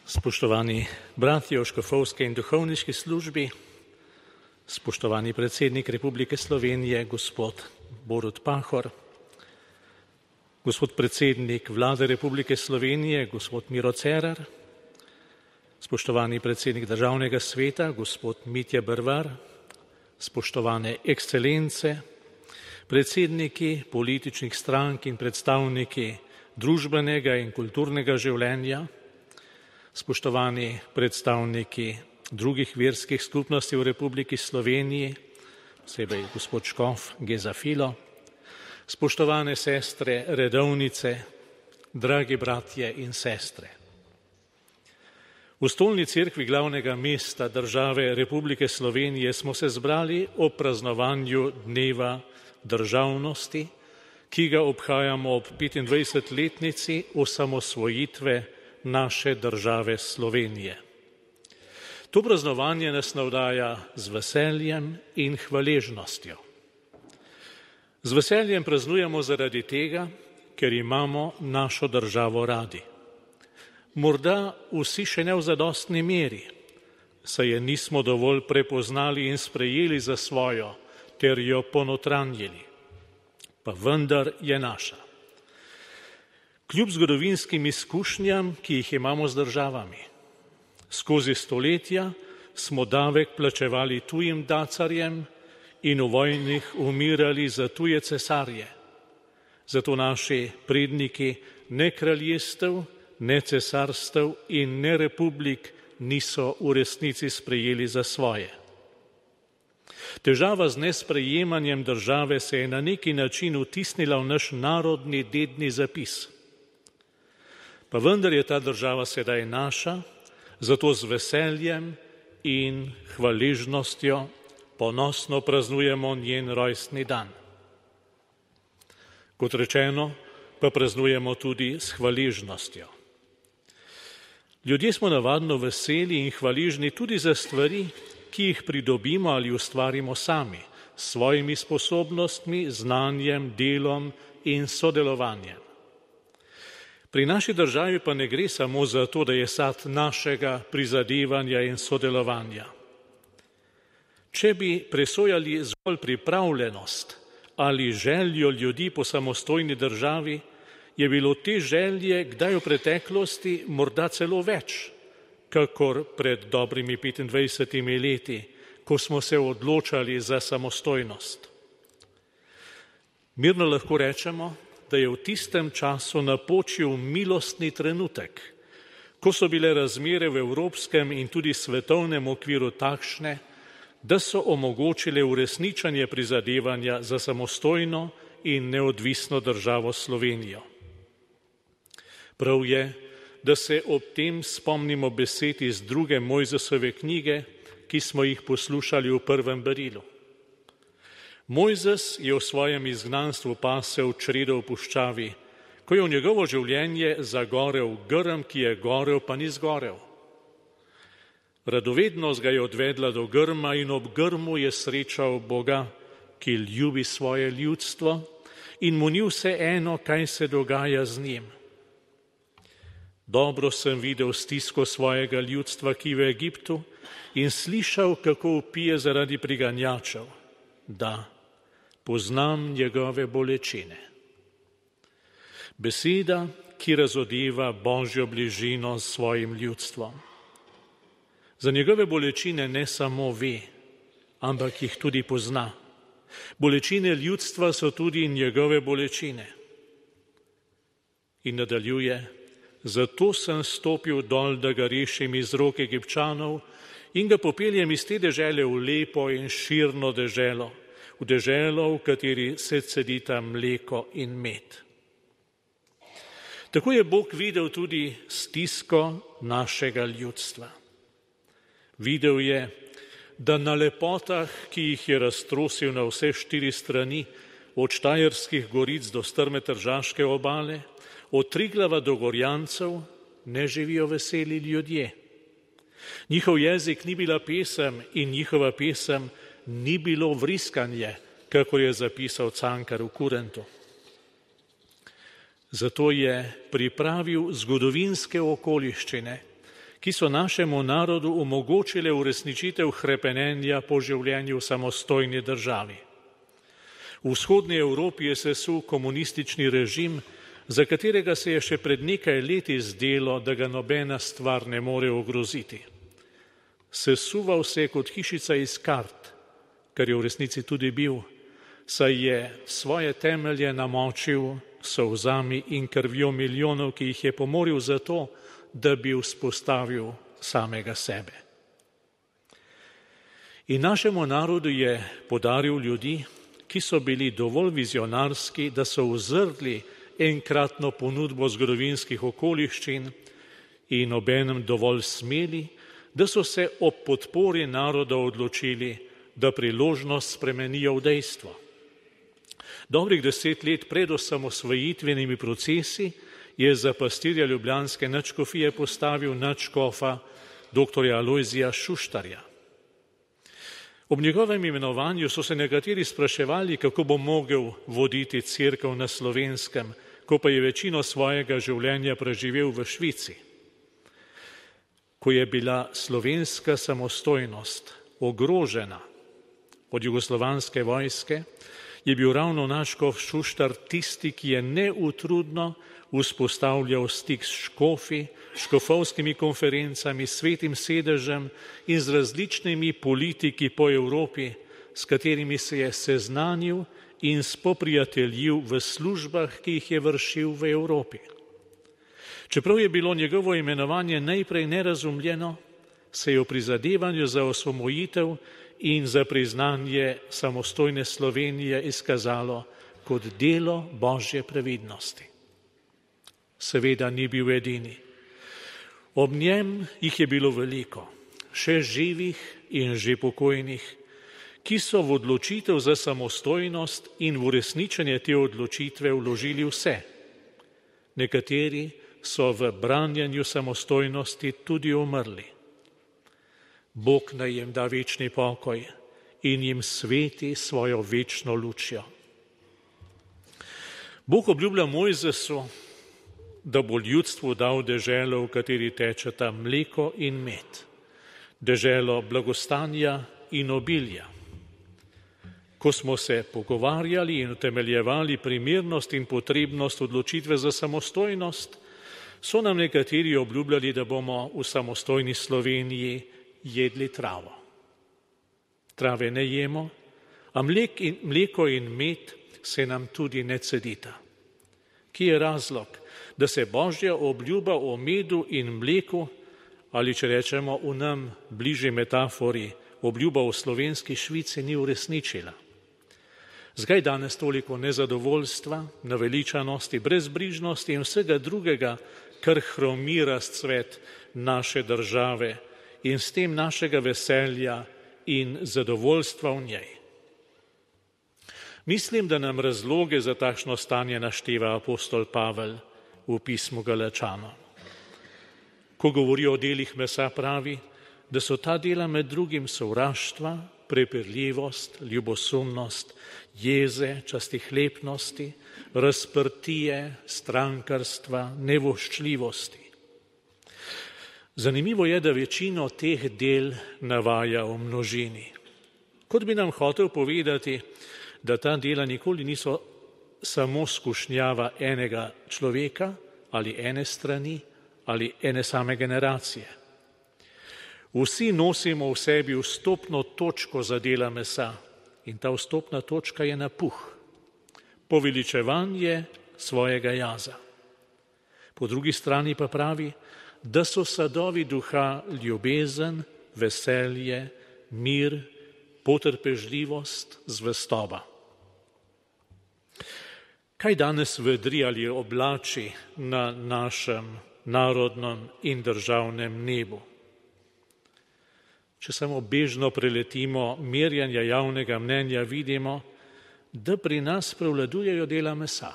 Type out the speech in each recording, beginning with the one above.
Spoštovani bratje v škofovski in duhovniški službi, spoštovani predsednik Republike Slovenije, gospod Borut Pahor, gospod predsednik Vlade Republike Slovenije, gospod Miro Cerar, spoštovani predsednik Državnega sveta, gospod Mitja Bervar, spoštovane ekscelence, predsedniki političnih strank in predstavniki družbenega in kulturnega življenja, spoštovani predstavniki drugih verskih skupnosti v Republiki Sloveniji, posebej gospod škof Geza Filo, spoštovane sestre redovnice, dragi bratje in sestre. V stolni cerkvi glavnega mesta države Republike Slovenije smo se zbrali ob praznovanju dneva državnosti, ki ga obhajamo ob 25-letnici osamosvojitve naše države Slovenije. To praznovanje nas navdaja z veseljem in hvaležnostjo. Z veseljem praznujemo zaradi tega, ker imamo našo državo radi. Morda vsi še ne v zadostni meri, saj je nismo dovolj prepoznali in sprejeli za svojo, ter jo ponotranjili. Pa vendar je naša. Kljub zgodovinskim izkušnjam, ki jih imamo z državami. Skozi stoletja smo davek plačevali tujim dacarjem in v vojnih umirali za tuje cesarje. Zato naši predniki ne kraljestev, ne cesarstev in ne republik niso v resnici sprejeli za svoje. Težava z nesprejemanjem države se je na neki način vtisnila v naš narodni dedni zapis. Pa vendar je ta država sedaj naša, zato z veseljem in hvaležnostjo ponosno praznujemo njen rojstni dan. Kot rečeno, pa praznujemo tudi s hvaležnostjo. Ljudje smo navadno veseli in hvaležni tudi za stvari, ki jih pridobimo ali ustvarimo sami, s svojimi sposobnostmi, znanjem, delom in sodelovanjem. Pri naši državi pa ne gre samo za to, da je sad našega prizadevanja in sodelovanja. Če bi presojali zgolj pripravljenost ali željo ljudi po samostojni državi, je bilo te želje kdaj v preteklosti morda celo več, kakor pred dobrimi 25 leti, ko smo se odločali za samostojnost. Mirno lahko rečemo, da je v tistem času napočil milostni trenutek, ko so bile razmere v evropskem in tudi svetovnem okviru takšne, da so omogočile uresničanje prizadevanja za samostojno in neodvisno državo Slovenijo. Prav je, da se ob tem spomnimo besed iz 2. Mojzesove knjige, ki smo jih poslušali v prvem berilu. Mojzes je v svojem izgnanstvu pasel čredo v puščavi, ko je v njegovo življenje zagorel grm, ki je gorel, pa ni zgorel. Radovednost ga je odvedla do grma in ob grmu je srečal Boga, ki ljubi svoje ljudstvo in mu ni vseeno, kaj se dogaja z njim. Dobro sem videl stisko svojega ljudstva, ki je v Egiptu, in slišal, kako vpije zaradi priganjačev. Da, poznam njegove bolečine. Beseda, ki razodeva Božjo bližino s svojim ljudstvom. Za njegove bolečine ne samo ve, ampak jih tudi pozna. Bolečine ljudstva so tudi njegove bolečine. In nadaljuje, zato sem stopil dol, da ga rešim iz rok Egipčanov in ga popeljem iz te dežele v lepo in širno deželo, v deželo, v kateri se cedita mleko in med. Tako je Bog videl tudi stisko našega ljudstva. Videl je, da na lepotah, ki jih je raztrosil na vse 4 strani, od Štajerskih goric do strme Tržaške obale, od Triglava do Gorjancev, ne živijo veseli ljudje. Njihov jezik ni bila pesem in njihova pesem ni bilo vriskanje, kakor je zapisal Cankar v Kurentu. Zato je pripravil zgodovinske okoliščine, ki so našemu narodu omogočile uresničitev hrepenenja po življenju v samostojni državi. V vzhodni Evropi je sesul komunistični režim, za katerega se je še pred nekaj leti zdelo, da ga nobena stvar ne more ogroziti. Sesuval se je kot hišica iz kart, kar je v resnici tudi bil, saj je svoje temelje namočil solzami in krvjo milijonov, ki jih je pomoril zato, da bi vzpostavil samega sebe. In našemu narodu je podaril ljudi, ki so bili dovolj vizionarski, da so uzrli enkratno ponudbo zgodovinskih okoliščin in obenem dovolj smeli, da so se ob podpori naroda odločili, da priložnost spremenijo v dejstvo. Dobrih 10 let pred osamosvojitvenimi procesi je za pastirja ljubljanske nadškofije postavil nadškofa dr. Alojzija Šuštarja. Ob njegovem imenovanju so se nekateri spraševali, kako bo mogel voditi cerkev na Slovenskem, ko pa je večino svojega življenja preživel v Švici. Ko je bila slovenska samostojnost ogrožena od jugoslovanske vojske, je bil ravno nadškof Šuštar tisti, ki je neutrudno vzpostavljal stik s škofi, škofovskimi konferencami, svetim sedežem in z različnimi politiki po Evropi, s katerimi se je seznanil in spoprijateljil v službah, ki jih je vršil v Evropi. Čeprav je bilo njegovo imenovanje najprej nerazumljeno, se je v prizadevanju za osvoboditev in za priznanje samostojne Slovenije izkazalo kot delo Božje previdnosti. Seveda ni bil edini. Ob njem jih je bilo veliko, še živih in že pokojnih, ki so v odločitev za samostojnost in v uresničenje te odločitve vložili vse. Nekateri so v branjenju samostojnosti tudi umrli. Bog naj jim da večni pokoj in jim sveti svojo večno lučjo. Bog obljublja Mojzesu, da bo ljudstvu dal deželo, v kateri tečeta mleko in med, deželo blagostanja in obilja. Ko smo se pogovarjali in utemeljevali primernost in potrebnost odločitve za samostojnost, so nam nekateri obljubljali, da bomo v samostojni Sloveniji jedli travo. Trave ne jemo, a mleko in med se nam tudi ne cedita. Kje je razlog, da se Božja obljuba o medu in mleku, ali če rečemo v nam bližji metafori, obljuba o slovenski Švici ni uresničila? Zakaj danes toliko nezadovoljstva, naveličanosti, brezbrižnosti in vsega drugega, kar hromi razcvet naše države in s tem našega veselja in zadovoljstva v njej? Mislim, da nam razloge za takšno stanje našteva apostol Pavel v pismu Galačanom. Ko govori o delih mesa, pravi, da so ta dela med drugim sovraštva, prepirljivost, ljubosumnost, jeze, častihlepnosti, razprtije, strankarstva, nevoščljivosti. Zanimivo je, da večino teh del navaja v množini. Kot bi nam hotel povedati, da ta dela nikoli niso samo skušnjava enega človeka ali ene strani ali ene same generacije. Vsi nosimo v sebi vstopno točko za dela mesa in ta vstopna točka je napuh, poveličevanje svojega jaza. Po drugi strani pa pravi, da so sadovi duha ljubezen, veselje, mir, potrpežljivost, zvestoba. Kaj danes vedri ali oblači na našem narodnem in državnem nebu? Če samo bežno preletimo merjanja javnega mnenja, vidimo, da pri nas prevladujejo dela mesa.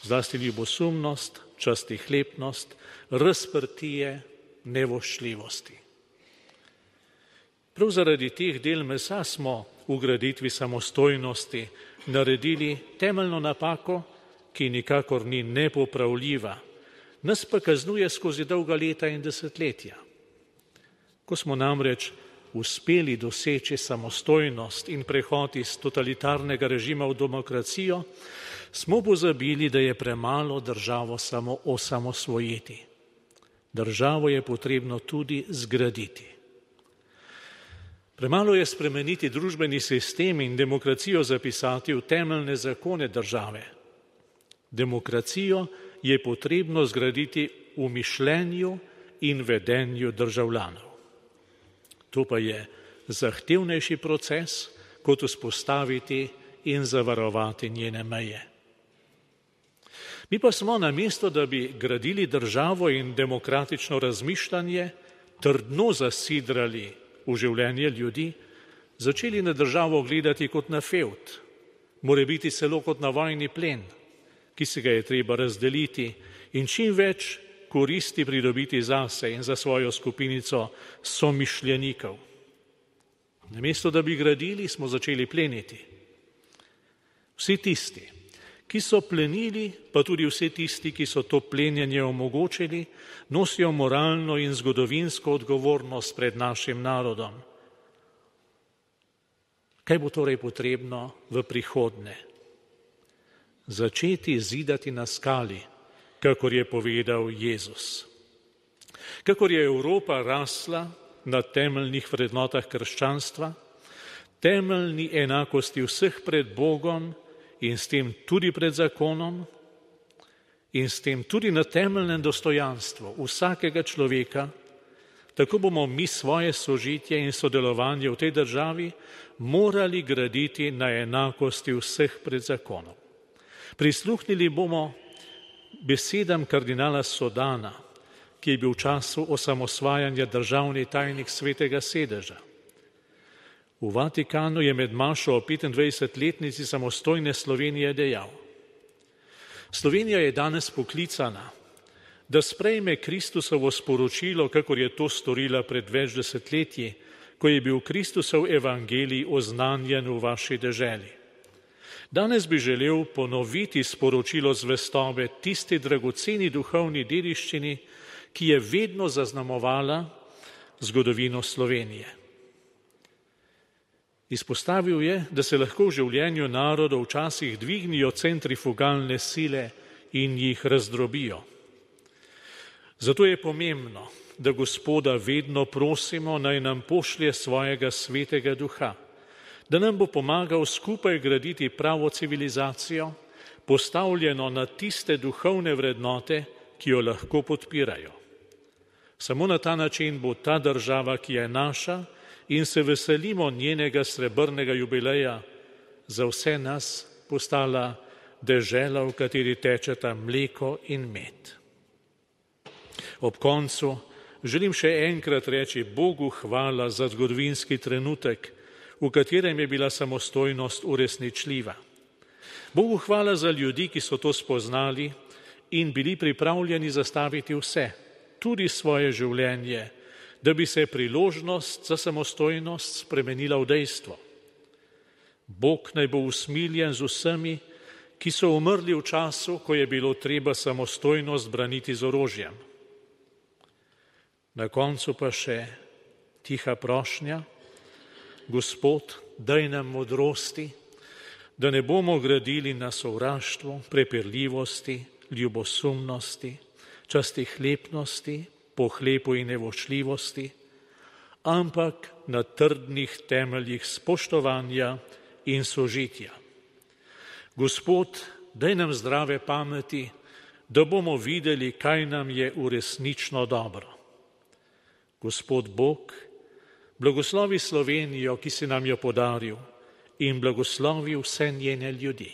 Zlasti ljubosumnost, častihlepnost, razprtije, nevoščljivosti. Prav zaradi teh del mesa smo v graditvi samostojnosti naredili temeljno napako, ki nikakor ni nepopravljiva, nas pa kaznuje skozi dolga leta in desetletja. Ko smo namreč uspeli doseči samostojnost in prehod iz totalitarnega režima v demokracijo, smo pozabili, da je premalo državo samo osamosvojiti. Državo je potrebno tudi zgraditi. Premalo je spremeniti družbeni sistem in demokracijo zapisati v temeljne zakone države. Demokracijo je potrebno zgraditi v mišljenju in vedenju državljanov. To pa je zahtevnejši proces, kot vzpostaviti in zavarovati njene meje. Mi pa smo namesto, da bi gradili državo in demokratično razmišljanje, trdno zasidrali v življenje ljudi, začeli na državo gledati kot na fevd, morebiti celo kot na vojni plen, ki se ga je treba razdeliti in čim več koristi pridobiti zase in za svojo skupinico somišljenikov. Namesto, da bi gradili, smo začeli pleniti. Vsi tisti, ki so plenili, pa tudi vsi tisti, ki so to plenjenje omogočili, nosijo moralno in zgodovinsko odgovornost pred našim narodom. Kaj bo torej potrebno v prihodnje? Začeti zidati na skali, kakor je povedal Jezus. Kakor je Evropa rasla na temeljnih vrednotah krščanstva, temeljni enakosti vseh pred Bogom in s tem tudi pred zakonom in s tem tudi na temeljnem dostojanstvu vsakega človeka, tako bomo mi svoje sožitje in sodelovanje v tej državi morali graditi na enakosti vseh pred zakonom. Prisluhnili bomo besedam kardinala Sodana, ki je bil v času osamosvajanja državni tajnik Svetega sedeža. V Vatikanu je med mašo o 25-letnici samostojne Slovenije dejal: Slovenija je danes poklicana, da sprejme Kristusovo sporočilo, kakor je to storila pred več desetletji, ko je bil Kristusov evangelij oznanjen v vaši deželi. Danes bi želel ponoviti sporočilo zvestobe tisti dragoceni duhovni dediščini, ki je vedno zaznamovala zgodovino Slovenije. Izpostavil je, da se lahko v življenju narodov včasih dvignijo centrifugalne sile in jih razdrobijo. Zato je pomembno, da Gospoda vedno prosimo, naj nam pošlje svojega svetega duha, da nam bo pomagal skupaj graditi pravo civilizacijo, postavljeno na tiste duhovne vrednote, ki jo lahko podpirajo. Samo na ta način bo ta država, ki je naša in se veselimo njenega srebrnega jubileja, za vse nas postala dežela, v kateri tečeta mleko in med. Ob koncu želim še enkrat reči Bogu hvala za zgodovinski trenutek, v katerem je bila samostojnost uresničljiva. Bogu hvala za ljudi, ki so to spoznali in bili pripravljeni zastaviti vse, tudi svoje življenje, da bi se priložnost za samostojnost spremenila v dejstvo. Bog naj bo usmiljen z vsemi, ki so umrli v času, ko je bilo treba samostojnost braniti z orožjem. Na koncu pa še tiha prošnja: Gospod, daj nam modrosti, da ne bomo gradili na sovraštvu, prepirljivosti, ljubosumnosti, častihlepnosti, pohlepu in nevoščljivosti, ampak na trdnih temeljih spoštovanja in sožitja. Gospod, daj nam zdrave pameti, da bomo videli, kaj nam je resnično dobro. Gospod Bog, blagoslovi Slovenijo, ki si nam jo podaril, in blagoslovi vse njene ljudi.